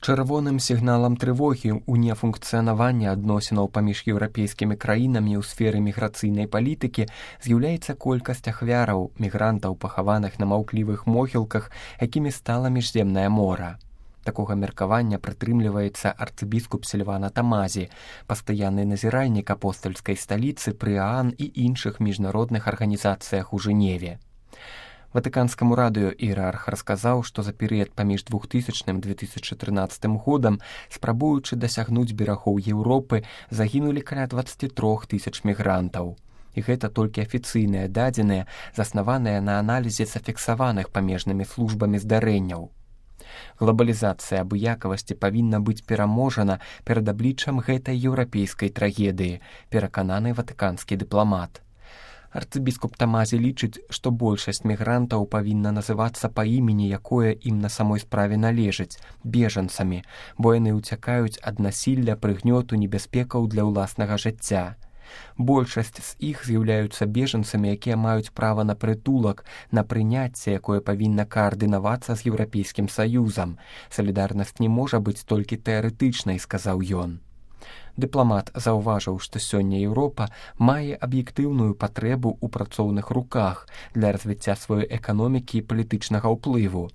Чырвоным сігналам трывогі ў нефункцыянаванні адносінаў паміж еўрапейскімі краінамі ў сферы міграцыйнай палітыкі з'яўляецца колькасць ахвяраў, мігрантаў, пахаваных на маўклівых могілках, якімі стала міжземнае мора. Такога меркавання прытрымліваецца арцыбіскуп Сільвана Тамазі, пастаянны назіральнік апостальскай сталіцы пры ААН і іншых міжнародных арганізацыях у Жэневе. Ватыканскаму радыё іерарх расказаў, што за перыяд паміж 2000-2013 годам, спрабуючы дасягнуць берагоў Еўропы, загінулі каля 23 тысяч мігрантаў. І гэта толькі афіцыйныя дадзеныя, заснаваныя на аналізе зафіксаваных памежнымі службамі здарэнняў. Глобалізацыя абыякавасці павінна быць пераможана перад абліччам гэтай еўрапейскай трагедыі, перакананы ватыканскі дыпламат. Арцыбіскуп Тамазі лічыць, што большасць мігрантаў павінна называцца па імені, якое ім на самой справе належыць, бежанцамі, бо яны ўцякаюць ад насілля, прыгнёту, небяспекаў для ўласнага жыцця. Большасць з іх з'яўляюцца бежанцамі, якія маюць права на прытулак, на прыняцце, якое павінна каардынавацца з Еўрапейскім Саюзам. Салідарнасць не можа быць толькі тэарэтычнай, сказаў ён. Дыпламат заўважыў, што сёння Еўропа мае аб'ектыўную патрэбу ў працоўных руках для развіцця сваёй эканомікі і палітычнага ўплыву.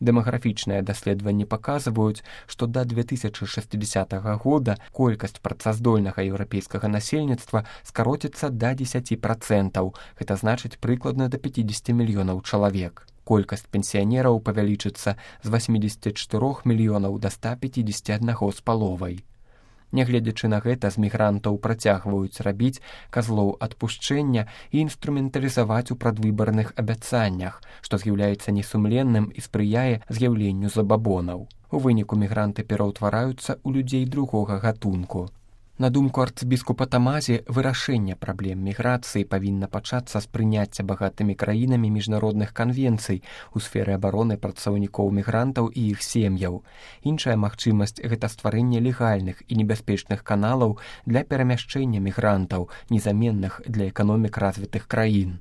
Дэмаграфічныя даследаванні паказваюць, што да 2060 года колькасць працаздольнага еўрапейскага насельніцтва скароціцца да 10%, гэта значыць прыкладна да 50 мільёнаў чалавек. Колькасць пенсіянераў павялічыцца з 84 мільёнаў да 151 з паловай. Нягледзячы на гэта, з мігрантаў працягваюць рабіць казлоў адпушчэння і інструменталізаваць у прадвыбарных абяцаннях, што з'яўляецца несумленным і спрыяе з'яўленню забабонаў. У выніку мігранты пераўтвараюцца ў людзей другога гатунку. На думку арцыбіскупа Тамазі, вырашэнне праблем міграцыі павінна пачацца з прыняцця багатымі краінамі міжнародных канвенцый у сферы абароны працаўнікоў мігрантаў і іх сем'яў. Іншая магчымасць – гэта стварэнне легальных і небяспечных каналаў для перамяшчэння мігрантаў, незаменных для эканомік развітых краін.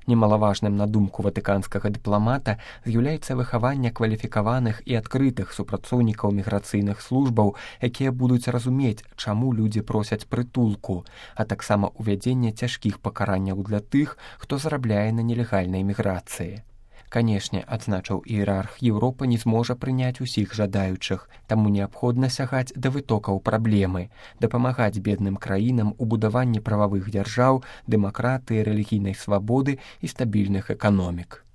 Немалаважным, на думку ватыканскага дыпламата, з'яўляецца выхаванне кваліфікаваных і адкрытых супрацоўнікаў міграцыйных службаў, якія будуць разумець, чаму людзі просяць прытулку, а таксама ўвядзенне цяжкіх пакаранняў для тых, хто зарабляе на нелегальнай міграцыі. Канешне, адзначыў іерарх, Еўропа не зможа прыняць усіх жадаючых, таму неабходна сягаць да вытокаў праблемы, дапамагаць бедным краінам у будаванні прававых дзяржаў, дэмакратыі, рэлігійнай свабоды і стабільных эканомік.